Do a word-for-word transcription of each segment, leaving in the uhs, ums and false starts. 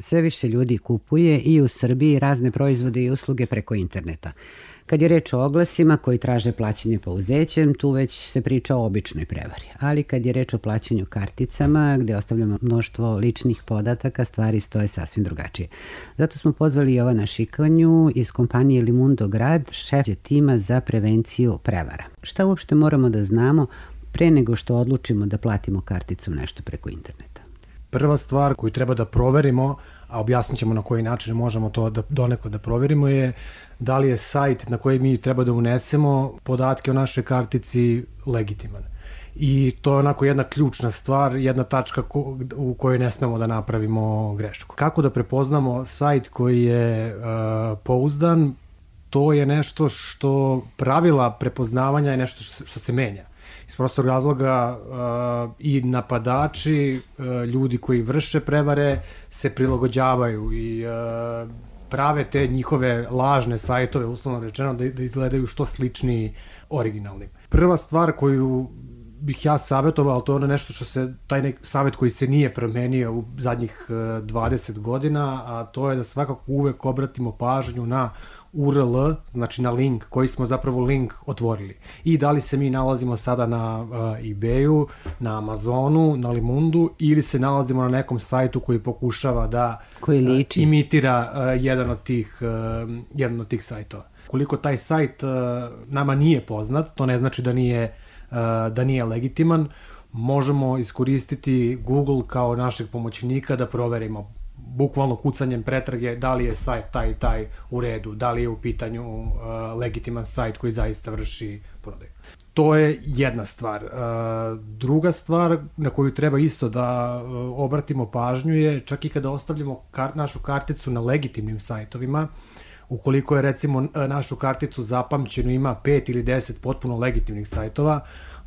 Sve više ljudi kupuje i u Srbiji razne proizvode i usluge preko interneta. Kad je reč o oglasima koji traže plaćanje pouzećem, tu već se priča o običnoj prevari. Ali kad je reč o plaćanju karticama, gde ostavljamo mnoštvo ličnih podataka, stvari stoje sasvim drugačije. Zato smo pozvali Jovana Šikanju iz kompanije Limundo Grad, šef tima za prevenciju prevara. Šta uopšte moramo da znamo pre nego što odlučimo da platimo karticom nešto preko interneta? Prva stvar koju treba da proverimo, a objasnit ćemo na koji način možemo to da donekle da proverimo, je da li je sajt na koji mi treba da unesemo podatke o našoj kartici legitiman. I to je onako jedna ključna stvar, jedna tačka ko, u kojoj ne smemo da napravimo grešku. Kako da prepoznamo sajt koji je uh, pouzdan? To je nešto što pravila prepoznavanja je nešto što, što se menja. Iz prostog razloga uh, i napadači, uh, ljudi koji vrše prevare se prilagođavaju i uh, prave te njihove lažne sajtove, uslovno rečeno, da, da izgledaju što sličniji originalnim. Prva stvar koju bih ja savjetovao, to je ono nešto što se, taj nek savjet koji se nije promenio u zadnjih uh, dvadeset godina, a to je da svakako uvek obratimo pažnju na U R L, znači na link, koji smo zapravo link otvorili. I da li se mi nalazimo sada na uh, eBayu, na Amazonu, na Limundu, ili se nalazimo na nekom sajtu koji pokušava da koji liči. Uh, imitira uh, jedan od tih, uh, jedan od tih sajtova. Koliko taj sajt uh, nama nije poznat, to ne znači da nije, uh, da nije legitiman, možemo iskoristiti Google kao našeg pomoćnika da proverimo bukvalno kucanjem pretrage da li je sajt taj i taj u redu, da li je u pitanju uh, legitiman sajt koji zaista vrši prodaju. To je jedna stvar. Uh, druga stvar na koju treba isto da uh, obratimo pažnju je čak i kada ostavljamo kar našu karticu na legitimnim sajtovima, ukoliko je recimo našu karticu zapamćenu ima pet ili deset potpuno legitimnih sajtova,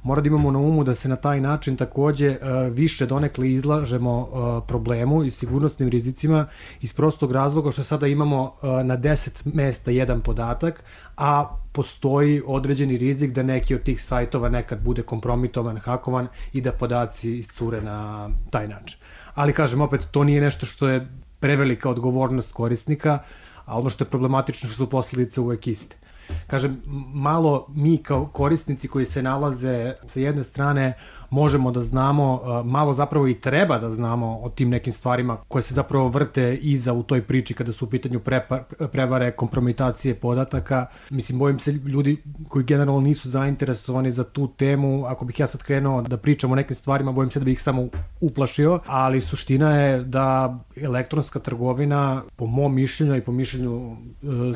mora da imamo na umu da se na taj način takođe uh, više donekle izlažemo uh, problemu i sigurnosnim rizicima iz prostog razloga što sada imamo uh, na deset mesta jedan podatak, a postoji određeni rizik da neki od tih sajtova nekad bude kompromitovan, hakovan i da podaci iscure na taj način. Ali kažem, opet, to nije nešto što je prevelika odgovornost korisnika, a ono što je problematično što su posljedice uvek iste. Kažem, malo mi kao korisnici koji se nalaze sa jedne strane možemo da znamo, malo zapravo i treba da znamo o tim nekim stvarima koje se zapravo vrte iza u toj priči kada su u pitanju prevare, kompromitacije podataka. Mislim, bojim se ljudi koji generalno nisu zainteresovani za tu temu, ako bih ja sad krenuo da pričam o nekim stvarima, bojim se da bih ih samo uplašio, ali suština je da elektronska trgovina, po mom mišljenju i po mišljenju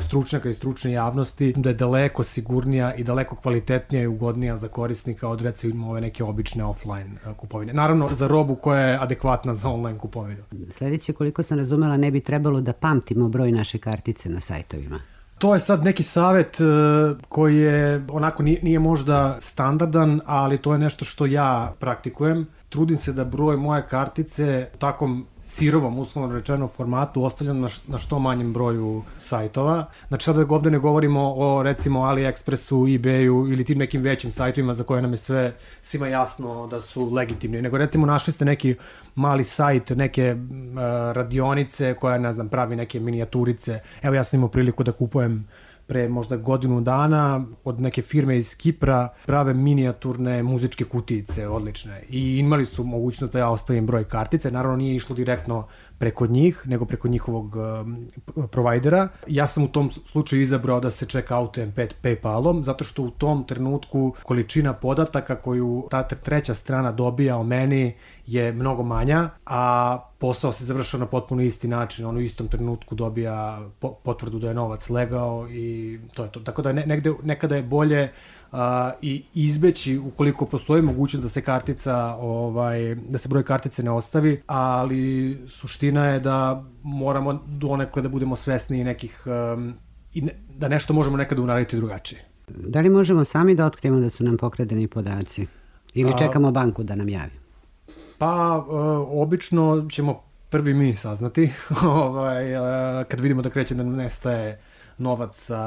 stručnjaka i stručne javnosti, da je daleko sigurnija i daleko kvalitetnija i ugodnija za korisnika od recimo ove neke obične offline kupovine. Naravno, za robu koja je adekvatna za online kupovinu. Sledeće, koliko sam razumela, ne bi trebalo da pamtimo broj naše kartice na sajtovima. To je sad neki savet koji je onako nije, nije možda standardan, ali to je nešto što ja praktikujem. Trudim se da broj moje kartice u takvom sirovom, uslovno rečeno, formatu ostavljam na, na što manjem broju sajtova. Znači sada ovde ne govorimo o recimo AliExpressu, eBayu ili tim nekim većim sajtovima za koje nam je sve svima jasno da su legitimni, nego recimo našli ste neki mali sajt, neke uh, radionice koja, ne znam, pravi neke minijaturice. Evo, ja sam imao priliku da kupujem pre možda godinu dana od neke firme iz Kipra, prave minijaturne muzičke kutijice, odlične. I imali su mogućnost da ja ostavim broj kartice. Naravno, nije išlo direktno preko njih, nego preko njihovog uh, provajdera. Ja sam u tom slučaju izabrao da se check outujem PayPalom, zato što u tom trenutku količina podataka koju ta treća strana dobija o meni je mnogo manja, a posao se završava na potpuno isti način. On u istom trenutku dobija potvrdu da je novac legao i to je to. Tako da ne, negde, nekada je bolje uh, i izbeći ukoliko postoji mogućnost da se kartica, ovaj, da se broj kartice ne ostavi, ali suština je da moramo donekle da budemo svesni nekih um, i ne, da nešto možemo nekada uraditi drugačije. Da li možemo sami da otkrijemo da su nam pokradeni podaci? Ili čekamo banku da nam javi? Pa, e, obično ćemo prvi mi saznati, ovaj, e, kad vidimo da kreće da nam nestaje novac sa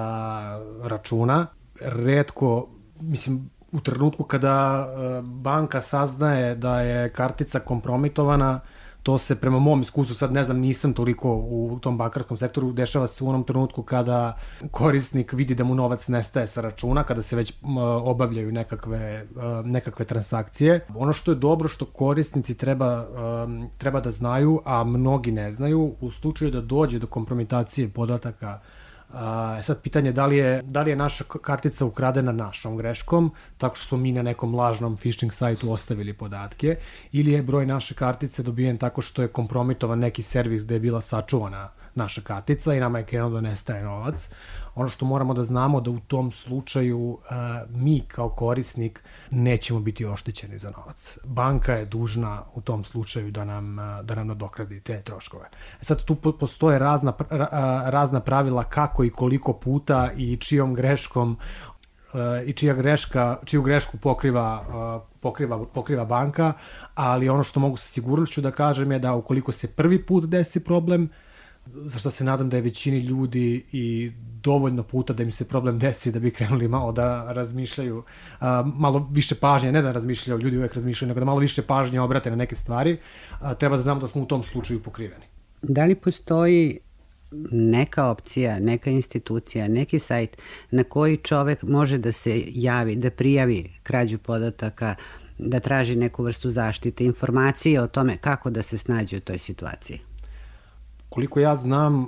računa. Retko, mislim, u trenutku kada e, banka saznaje da je kartica kompromitovana, To se prema mom iskustvu, sad ne znam, nisam toliko u tom bankarskom sektoru, dešava se u onom trenutku kada korisnik vidi da mu novac nestaje sa računa, kada se već obavljaju nekakve, nekakve transakcije. Ono što je dobro, što korisnici treba, treba da znaju, a mnogi ne znaju, u slučaju da dođe do kompromitacije podataka. Uh, sad pitanje je da li je, da li je naša kartica ukradena našom greškom, tako što smo mi na nekom lažnom phishing sajtu ostavili podatke, ili je broj naše kartice dobijen tako što je kompromitovan neki servis gde je bila sačuvana naša kartica i nama je krenuo da nestaje novac. Ono što moramo da znamo da u tom slučaju uh, mi kao korisnik nećemo biti oštećeni za novac. Banka je dužna u tom slučaju da nam, uh, da nam nadokradi te troškove. Sad tu postoje razna, ra, razna pravila kako i koliko puta i čijom greškom uh, i čija greška, čiju grešku pokriva, uh, pokriva, pokriva banka, ali ono što mogu sa sigurnošću da kažem je da ukoliko se prvi put desi problem, za što se nadam da je većini ljudi i dovoljno puta da im se problem desi da bi krenuli malo da razmišljaju, a, malo više pažnje, ne da razmišljaju, ljudi uvek razmišljaju, nego da malo više pažnje obrate na neke stvari, a, treba da znamo da smo u tom slučaju pokriveni. Da li postoji neka opcija, neka institucija, neki sajt na koji čovek može da se javi, da prijavi krađu podataka, da traži neku vrstu zaštite, informacije o tome kako da se snađe u toj situaciji? Koliko ja znam,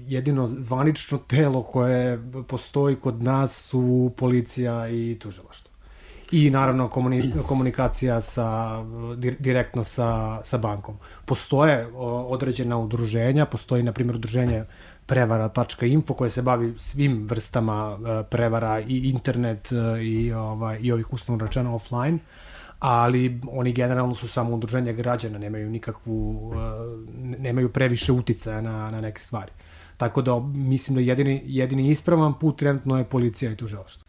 jedino zvanično telo koje postoji kod nas su policija i tužilaštvo. I naravno komunikacija sa, direktno sa, sa bankom. Postoje određena udruženja, postoji na primjer udruženje prevara tačka info koje se bavi svim vrstama prevara i internet i, ovaj, i ovih uslovno rečeno offline, ali oni generalno su samo udruženja građana, nemaju nikakvu, nemaju previše uticaja na, na neke stvari. Tako da mislim da jedini, jedini ispravan put trenutno je policija i tužilaštvo.